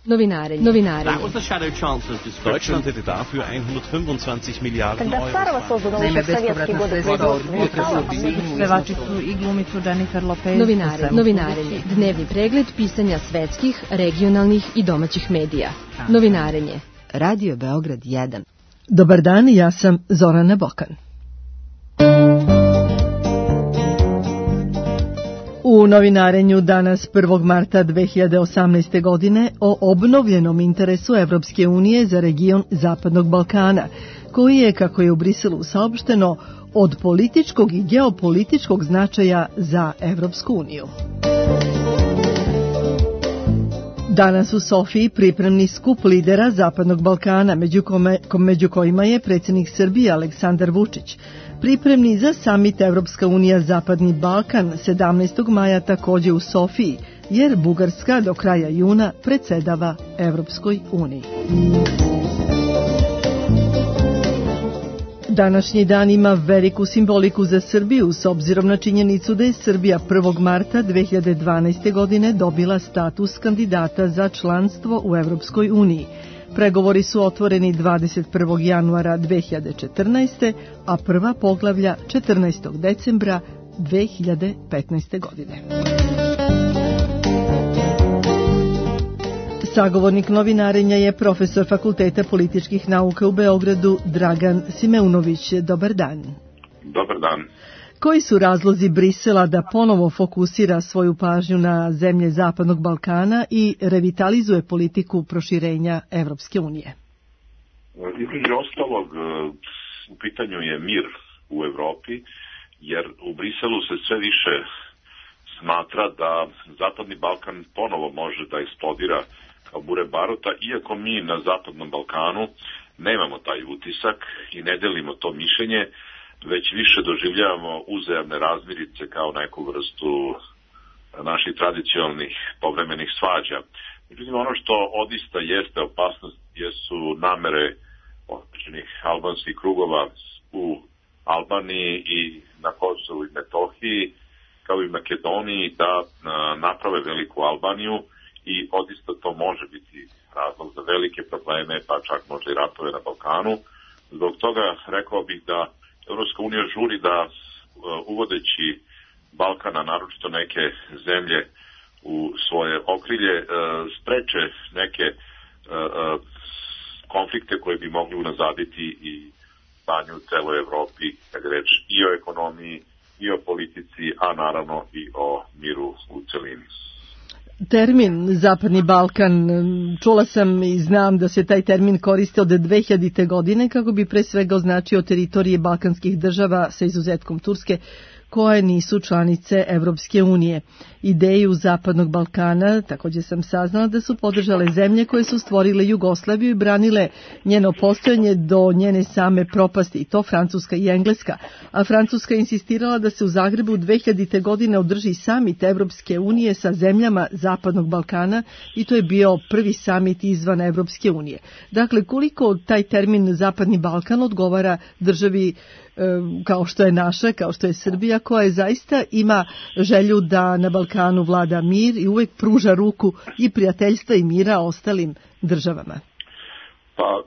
Novinarenje. That was the Shadow Chancellor's description. Deutschland hätte dafür 125 Milijarden Когда старого создано еще в советские годы Pevačicu i glumicu Jennifer Lopez. Novinarenje. Dnevni pregled pisanja svetskih, regionalnih i domaćih medija. Novinarenje. Radio Beograd 1. Dobar dan, ja sam Zorana Bokan. U novinarenju danas 1. marta 2018. godine o obnovljenom interesu Evropske unije za region Zapadnog Balkana, koji je, kako je u Briselu saopšteno, od političkog i geopolitičkog značaja za Evropsku uniju. Danas u Sofiji pripremni skup lidera Zapadnog Balkana, među kojima je predsjednik Srbije Aleksandar Vučić. Pripremni za samit Evropska unija Zapadni Balkan 17. maja također u Sofiji, jer Bugarska do kraja juna predsjedava Evropskoj uniji. Današnji dan ima veliku simboliku za Srbiju s obzirom na činjenicu da je Srbija 1. marta 2012. godine dobila status kandidata za članstvo u Evropskoj uniji. Pregovori su otvoreni 21. januara 2014. a prva poglavlja 14. decembra 2015. godine. Sagovornik novinarenja je profesor Fakulteta političkih nauka u Beogradu Dragan Simeunović. Dobar dan. Dobar dan. Koji su razlozi Brisela da ponovo fokusira svoju pažnju na zemlje Zapadnog Balkana i revitalizuje politiku proširenja Evropske unije? Između ostalog, u pitanju je mir u Evropi, jer u Briselu se sve više smatra da Zapadni Balkan ponovo može da eksplodira kao bure baruta, iako mi na Zapadnom Balkanu nemamo taj utisak i ne delimo to mišljenje, već više doživljavamo uzajamne razmirice kao neku vrstu naših tradicionalnih povremenih svađa. Međutim, ono što odista jeste opasnost jesu namere određenih albanskih krugova u Albaniji i na Kosovu i Metohiji, kao i Makedoniji, da naprave veliku Albaniju i odista to može biti razlog za velike probleme, pa čak možda i ratove na Balkanu. Zbog toga rekao bih da Evropska unija žuri da uvodeći Balkana, naročito neke zemlje u svoje okrilje, spreče neke konflikte koje bi mogli unazaditi i stanju u celoj Evropi, kad je reč i o ekonomiji, i o politici, a naravno i o miru u celini. Termin Zapadni Balkan, čula sam i znam da se taj termin koriste od 2000. godine kako bi pre svega označio teritorije balkanskih država sa izuzetkom Turske koje nisu članice Evropske unije. Ideju Zapadnog Balkana također sam saznala da su podržale zemlje koje su stvorile Jugoslaviju i branile njeno postojanje do njene same propasti, i to Francuska i Engleska. A Francuska je insistirala da se u Zagrebu 2000. godine održi samit Evropske unije sa zemljama Zapadnog Balkana i to je bio prvi samit izvan Evropske unije. Dakle, koliko taj termin Zapadni Balkan odgovara državi kao što je naša, kao što je Srbija, koja zaista ima želju da na Balkanu vlada mir i uvek pruža ruku i prijateljstva i mira ostalim državama? Pa,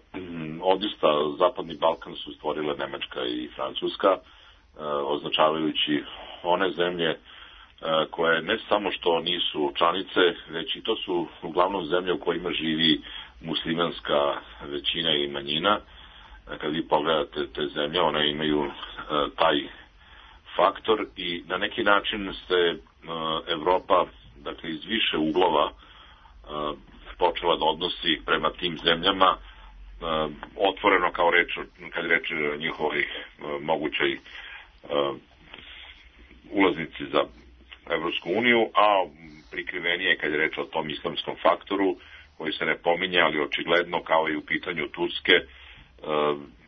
odista Zapadni Balkan su stvorile Nemačka i Francuska, označavajući one zemlje koje ne samo što nisu članice, već i to su uglavnom zemlje u kojima živi muslimanska većina i manjina. Kad vi pogledate te zemlje, one imaju taj faktor i na neki način se Evropa, dakle, iz više uglova počela da odnosi prema tim zemljama, otvoreno kao reč, kad reč o njihovoj mogućoj ulaznici za Evropsku uniju, a prikrivenije kad je reč o tom islamskom faktoru koji se ne pominje, ali očigledno kao i u pitanju Turske,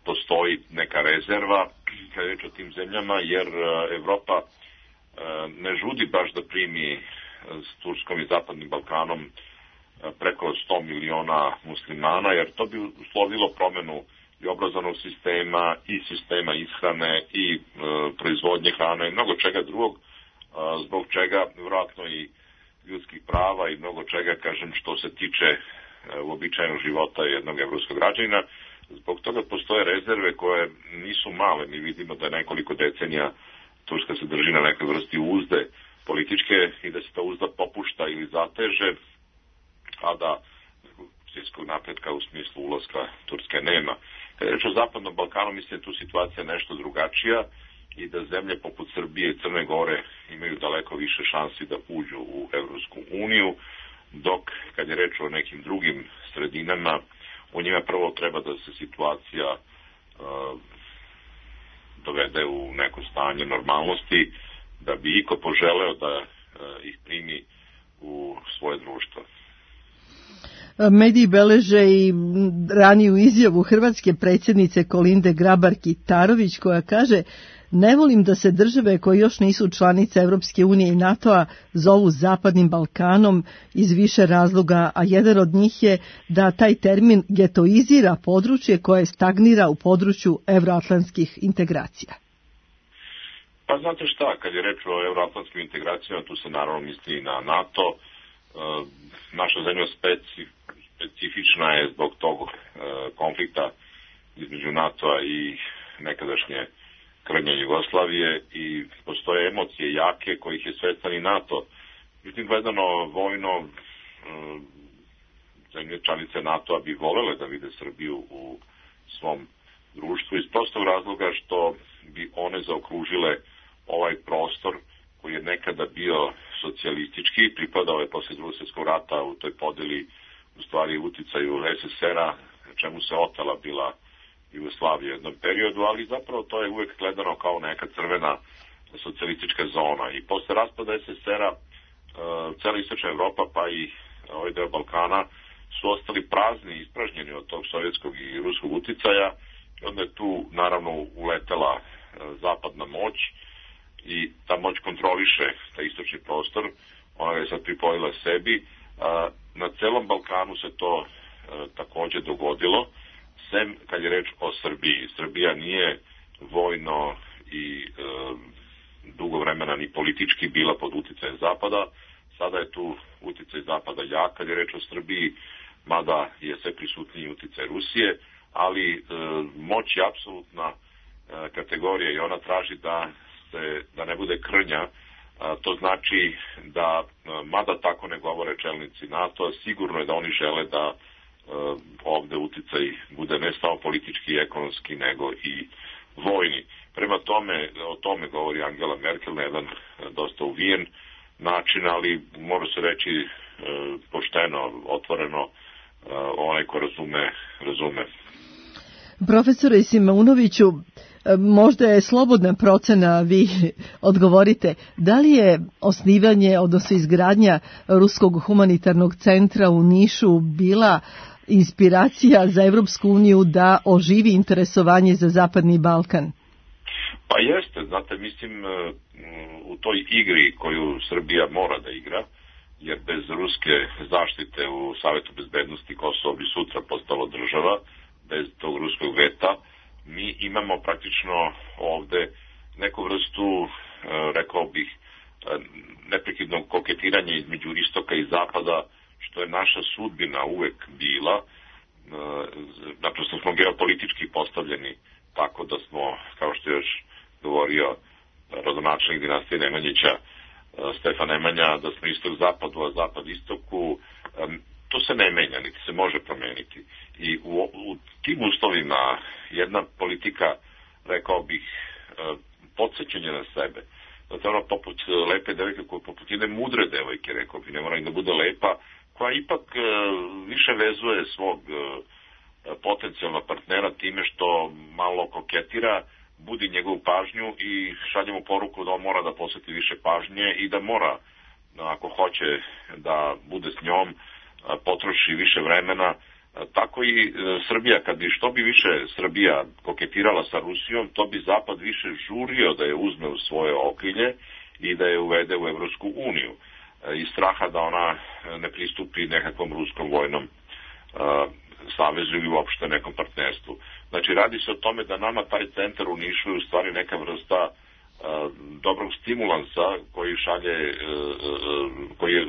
postoji neka rezerva kad je reč o tim zemljama, jer Evropa ne žudi baš da primi s Turskom i Zapadnim Balkanom preko 100 miliona muslimana, jer to bi uslovilo promenu i obrazovnog sistema, i sistema ishrane, i proizvodnje hrane, i mnogo čega drugog, zbog čega vjerojatno i ljudskih prava i mnogo čega, kažem, što se tiče uobičajenog života jednog evropskog građanina. Zbog toga postoje rezerve koje nisu male. Mi vidimo da je nekoliko decenija Turska se drži na nekoj vrsti uzde političke i da se ta uzda popušta ili zateže, a da svjetskog napretka u smislu ulaska Turske nema. Kada je reč o Zapadnom Balkanu, mislim da tu situacija nešto drugačija i da zemlje poput Srbije i Crne Gore imaju daleko više šansi da uđu u Evropsku uniju, dok kad je reč o nekim drugim sredinama, u njima prvo treba da se situacija dovede u neko stanje normalnosti, da bi iko poželeo da ih primi u svoje društvo. Mediji beleže i raniju izjavu hrvatske predsjednice Kolinde Grabar-Kitarović koja kaže: ne volim da se države koje još nisu članice Evropske unije i NATO-a zovu Zapadnim Balkanom iz više razloga, a jedan od njih je da taj termin getoizira područje koje stagnira u području evroatlantskih integracija. Pa znate šta, kad je reč o evroatlantskim integracijama, tu se naravno misli na NATO. Naša zemlja specifična je zbog tog konflikta između NATO-a i nekadašnje krnje Jugoslavije i postoje emocije jake kojih je svestan i NATO. Međutim, gledano vojno, zemlje članice NATO-a bi volele da vide Srbiju u svom društvu iz prostog razloga što bi one zaokružile ovaj prostor koji je nekada bio socijalistički, pripadao je posle Drugog svjetskog rata u toj podeli u stvari uticaju SSR-a, čemu se otela bila Jugoslavija u jednom periodu, ali zapravo to je uvek gledano kao neka crvena socijalistička zona. I posle raspada SSR-a cela istočna Evropa pa i ovaj deo Balkana su ostali prazni i ispražnjeni od tog sovjetskog i ruskog uticaja. Onda je tu naravno uletela zapadna moć i ta moć kontroliše taj istočni prostor, ona je sad pripojila sebi. Na celom Balkanu se to takođe dogodilo, sem kad je reč o Srbiji. Srbija nije vojno i dugo vremena ni politički bila pod uticajem Zapada, sada je tu uticaj Zapada jak kad je reč o Srbiji, mada je sve prisutniji uticaj Rusije, ali moć je apsolutna kategorija i ona traži da ne bude krnja. To znači da, mada tako ne govore čelnici NATO, sigurno je da oni žele da ovde uticaj bude ne samo politički i ekonomski, nego i vojni. Prema tome, o tome govori Angela Merkel na jedan dosta uvijen način, ali mora se reći pošteno, otvoreno, onaj ko razume. Profesore Simeunoviću, možda je slobodna procena, vi odgovorite, da li je osnivanje, odnosno izgradnja Ruskog humanitarnog centra u Nišu bila inspiracija za Evropsku uniju da oživi interesovanje za Zapadni Balkan? Pa jeste, znate, mislim, u toj igri koju Srbija mora da igra, jer bez ruske zaštite u Savetu bezbednosti Kosovo bi sutra postalo država, bez tog ruskog veta, mi imamo praktično ovde neku vrstu, rekao bih, neprekidnog koketiranja između istoka i zapada, što je naša sudbina uvek bila. Naprosto smo geopolitički postavljeni tako da smo, kao što je još govorio rodonačelnik dinastije Nemanjića, Stefan Nemanja, da smo istok-zapadu, a zapad-istoku. To se ne menja, niti se može promeniti. I u tim uslovima jedna politika, rekao bih, podsjećanja na sebe. Zato ono poput lepe devojke, poput jedne mudre devojke, rekao bih, ne mora i da bude lepa, koja ipak više vezuje svog potencijalnog partnera time što malo koketira, budi njegovu pažnju i šalje mu poruku da on mora da posveti više pažnje i da mora, ako hoće da bude s njom, potroši više vremena. Tako i Srbija, što bi više Srbija koketirala sa Rusijom, to bi Zapad više žurio da je uzme u svoje okrilje i da je uvede u Evropsku uniju. Iz straha da ona ne pristupi nekakvom ruskom vojnom savezu ili uopšte nekom partnerstvu. Znači, radi se o tome da nama taj centar u Nišu je u stvari neka vrsta dobrog stimulansa koji šalje,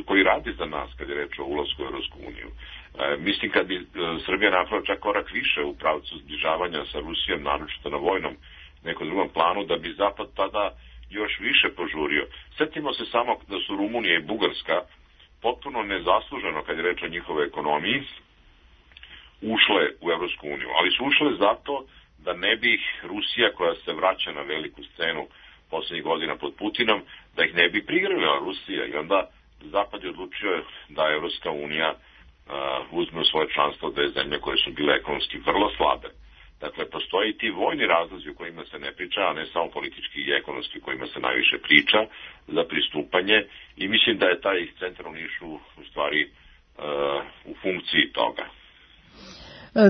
koji radi za nas kad je reč o ulasku u Evropsku uniju. Mislim kad bi Srbija napravila čak korak više u pravcu zbližavanja sa Rusijom, naročito na vojnom nekom drugom planu, da bi Zapad tada još više požurio. Sjetimo se samo da su Rumunija i Bugarska potpuno nezasluženo, kad je reč o njihovoj ekonomiji, ušle u Evropsku uniju. Ali su ušle zato da ne bi Rusija, koja se vraća na veliku scenu poslednjih godina pod Putinom, da ih ne bi prigrlila Rusija. I onda Zapad je odlučio da Evropska unija uzme u svoje članstvo dve zemlje koje su bile ekonomski vrlo slabe. Dakle, postoje i ti vojni razlozi o kojima se ne priča, a ne samo politički i ekonomski o kojima se najviše priča za pristupanje, i mislim da je taj centar u Nišu u stvari u funkciji toga.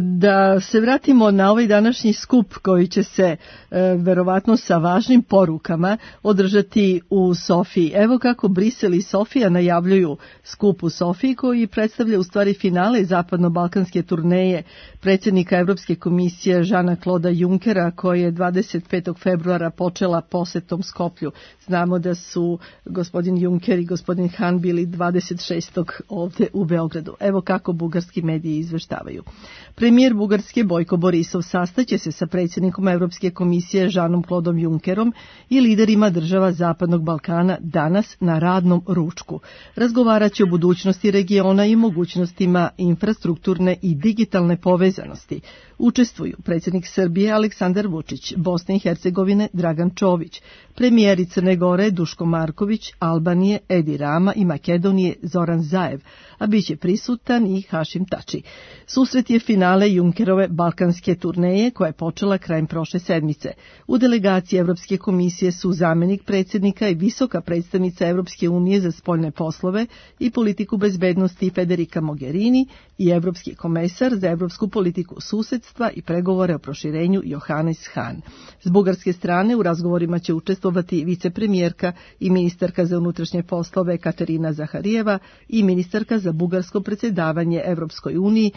Da se vratimo na ovaj današnji skup koji će se verovatno sa važnim porukama održati u Sofiji. Evo kako Brisel i Sofija najavljuju skup u Sofiji koji predstavlja u stvari finale zapadno-balkanske turneje predsjednika Evropske komisije Žana Kloda Junkera, koja je 25. februara počela posetom Skoplju. Znamo da su gospodin Junker i gospodin Han bili 26. ovde u Beogradu. Evo kako bugarski mediji izveštavaju. Premijer Bugarske Bojko Borisov sastaće se sa predsjednikom Evropske komisije Žanom Klodom Junkerom i liderima država Zapadnog Balkana danas na radnom ručku. Razgovarat će o budućnosti regiona i mogućnostima infrastrukturne i digitalne povezanosti. Učestvuju predsjednik Srbije Aleksandar Vučić, Bosne i Hercegovine Dragan Čović, premijeri Crne Gore Duško Marković, Albanije Edi Rama i Makedonije Zoran Zaev, a bit će prisutan i Hašim Tači. Susret je finale Junkerove balkanske turneje koja je počela krajem prošle sedmice. U delegaciji Evropske komisije su zamenik predsjednika i visoka predstavnica Evropske unije za spoljne poslove i politiku bezbednosti Federica Mogherini i evropski komesar za evropsku politiku susedstva i pregovore o proširenju Johannes Hahn. S bugarske strane u razgovorima će učestvovati vicepremijerka i ministarka za unutrašnje poslove Katarina Zaharijeva i ministarka za bugarsko predsjedavanje Evropskoj uniji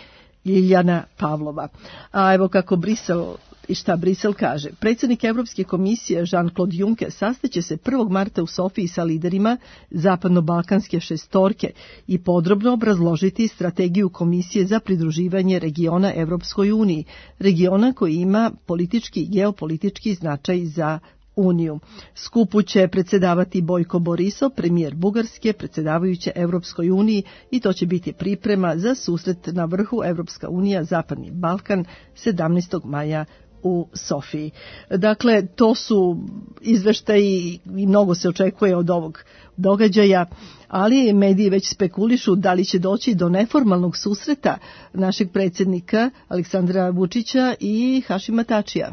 Ljiljana Pavlova. A evo kako Brisel i šta Brisel kaže. Predsjednik Evropske komisije Jean-Claude Juncker sastaće se 1. marta u Sofiji sa liderima zapadno-balkanske šestorke i podrobno obrazložiti strategiju komisije za pridruživanje regiona Evropskoj uniji, regiona koji ima politički i geopolitički značaj za Uniju. Skupu će predsjedavati Bojko Borisov, premijer Bugarske, predsjedavajuće Evropskoj uniji, i to će biti priprema za susret na vrhu Evropska unija Zapadni Balkan 17. maja u Sofiji. Dakle, to su izveštaji i mnogo se očekuje od ovog događaja, ali mediji već spekulišu da li će doći do neformalnog susreta našeg predsjednika Aleksandra Vučića i Hašima Tačija.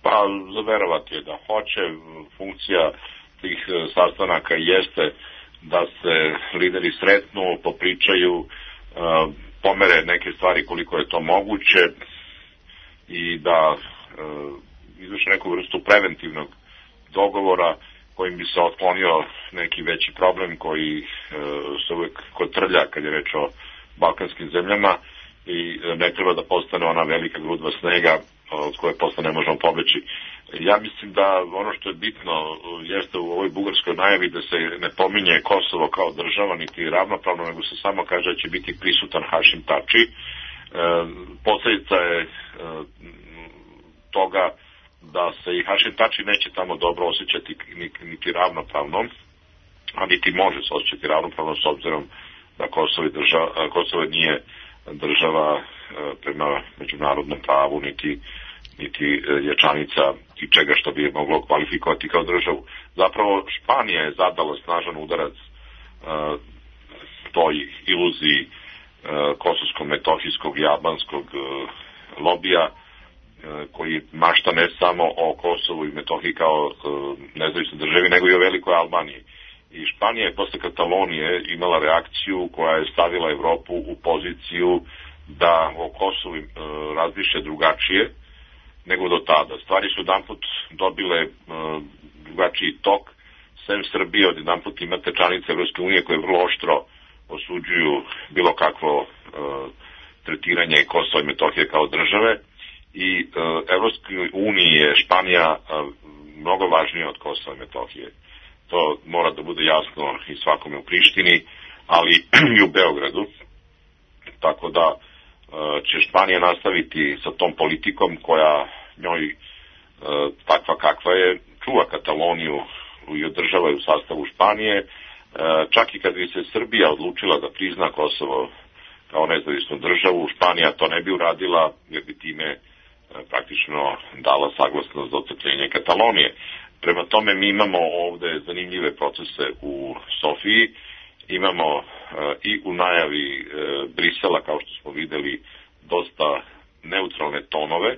Pa, zaverovati je da hoće. Funkcija tih sastanaka jeste da se lideri sretnu, popričaju, pomere neke stvari koliko je to moguće i da izvrše neku vrstu preventivnog dogovora kojim bi se otklonio neki veći problem koji se uvek kotrlja kad je reč o balkanskim zemljama i ne treba da postane ona velika grudva snega od koje posle ne možemo pobeći. Ja mislim da ono što je bitno jeste u ovoj bugarskoj najavi da se ne pominje Kosovo kao država niti ravnopravno, nego se samo kaže da će biti prisutan Hašim Tači. Posledica je toga da se i Hašim Tači neće tamo dobro osjećati niti ravnopravno, a niti može se osjećati ravnopravno s obzirom da Kosovo nije država prema međunarodnom pravu, niti je članica i čega što bi je moglo kvalifikovati kao državu. Zapravo Španija je zadala snažan udarac toj iluziji kosovsko-metohijskog i albanskog lobija koji mašta ne samo o Kosovu i Metohiji kao nezavisnoj državi, nego i o velikoj Albaniji. I Španija je posle Katalonije imala reakciju koja je stavila Evropu u poziciju da o Kosovu razmišlja drugačije nego do tada. Stvari su jedanput dobile drugačiji tok. Sem Srbije, od jedanput imate članice Evropske unije koje vrlo oštro osuđuju bilo kakvo tretiranje Kosova i Metohije kao države, i Evropskoj uniji je Španija mnogo važnije od Kosova i Metohije. To mora da bude jasno i svakome u Prištini, ali i u Beogradu. Tako da će Španija nastaviti sa tom politikom koja njoj takva kakva je, čuva Kataloniju i održava je u sastavu Španije. Čak i kad bi se Srbija odlučila da prizna Kosovo kao nezavisnu državu, Španija to ne bi uradila jer bi time praktično dala saglasnost za otcepljenje Katalonije. Prema tome mi imamo ovde zanimljive procese u Sofiji, imamo i u najavi Brisela, kao što smo videli, dosta neutralne tonove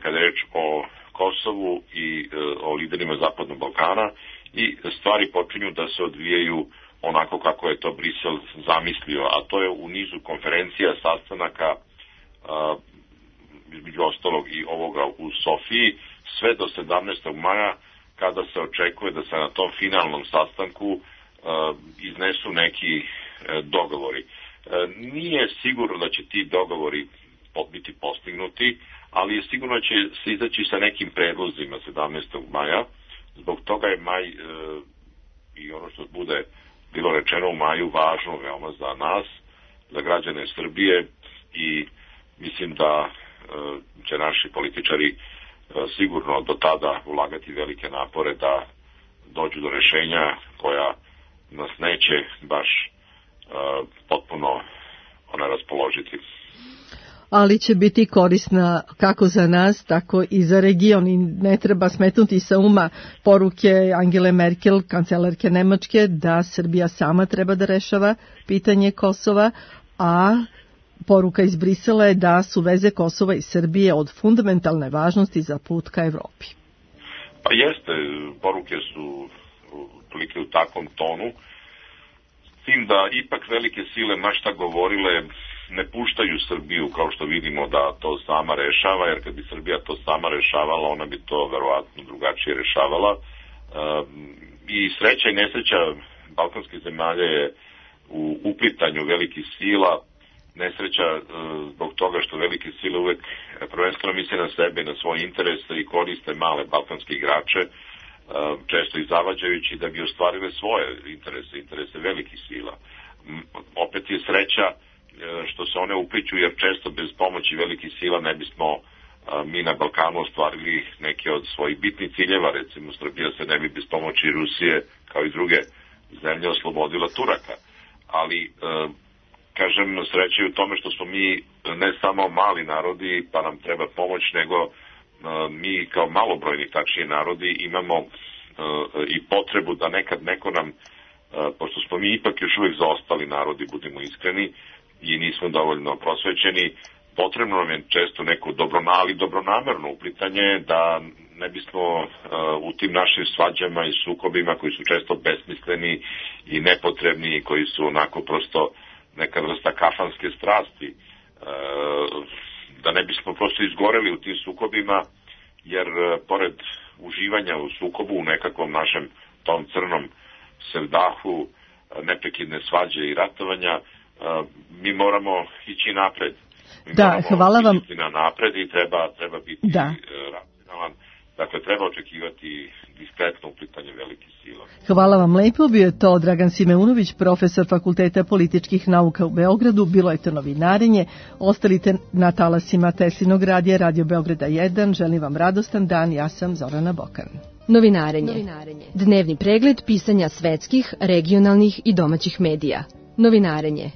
kada je reč o Kosovu i o liderima Zapadnog Balkana i stvari počinju da se odvijaju onako kako je to Brisel zamislio, a to je u nizu konferencija, sastanaka, između ostalog i ovoga u Sofiji, sve do 17. maja, kada se očekuje da se na tom finalnom sastanku iznesu neki dogovori. Nije sigurno da će ti dogovori biti postignuti, ali je sigurno da će se izaći sa nekim predlozima 17. maja. Zbog toga je maj i ono što bude bilo rečeno u maju važno veoma za nas, za građane Srbije i mislim da će naši političari sigurno do tada ulagati velike napore da dođu do rešenja koja nas neće baš potpuno raspoložiti. Ali će biti korisna kako za nas, tako i za region i ne treba smetnuti sa uma poruke Angele Merkel, kancelarke Nemačke, da Srbija sama treba da rešava pitanje Kosova, a poruka iz Brisela je da su veze Kosova i Srbije od fundamentalne važnosti za put ka Evropi. Pa jeste, poruke su otprilike u takvom tonu, s tim da ipak velike sile mašta govorile ne puštaju Srbiju, kao što vidimo, da to sama rešava, jer kad bi Srbija to sama rešavala, ona bi to verovatno drugačije rešavala. I sreća i nesreća balkanskih zemalja je u uplitanju velikih sila, nesreća zbog toga što velike sile uvek prvenstveno misle na sebe, na svoje interese i koriste male balkanske igrače, često i zavađajući da bi ostvarile svoje interese velikih sila. Opet je sreća što se one upliću, jer često bez pomoći velikih sila ne bismo mi na Balkanu ostvarili neke od svojih bitnih ciljeva. Recimo, Srbija se ne bi bez pomoći Rusije, kao i druge zemlje, oslobodila Turaka. Ali, kažem, sreća je u tome što smo mi ne samo mali narodi, pa nam treba pomoć, nego mi kao malobrojni, tačnije, narodi imamo i potrebu da nekad neko nam, pošto smo mi ipak još uvijek zaostali narodi, budimo iskreni, i nismo dovoljno prosvećeni, potrebno nam je često neko dobronamerno uplitanje da ne bismo u tim našim svađama i sukobima koji su često besmisleni i nepotrebni i koji su onako prosto neka vrsta kafanske strasti, da ne bismo prosto izgoreli u tim sukobima, jer pored uživanja u sukobu, u nekakvom našem tom crnom sevdahu, neprekidne svađe i ratovanja, mi moramo ići napred. Hvala vam. Na napred i treba biti racionalan. Dakle, treba očekivati diskretno uplitanje velikih sila. Hvala vam lepo. Bio je to Dragan Simeunović, profesor Fakulteta političkih nauka u Beogradu. Bilo je to novinarenje. Ostalite na talasima Teslinog radija, Radio Beograda 1. Želim vam radostan dan. Ja sam Zorana Bokan. Novinarenje. Dnevni pregled pisanja svetskih, regionalnih i domaćih medija. Novinarenje.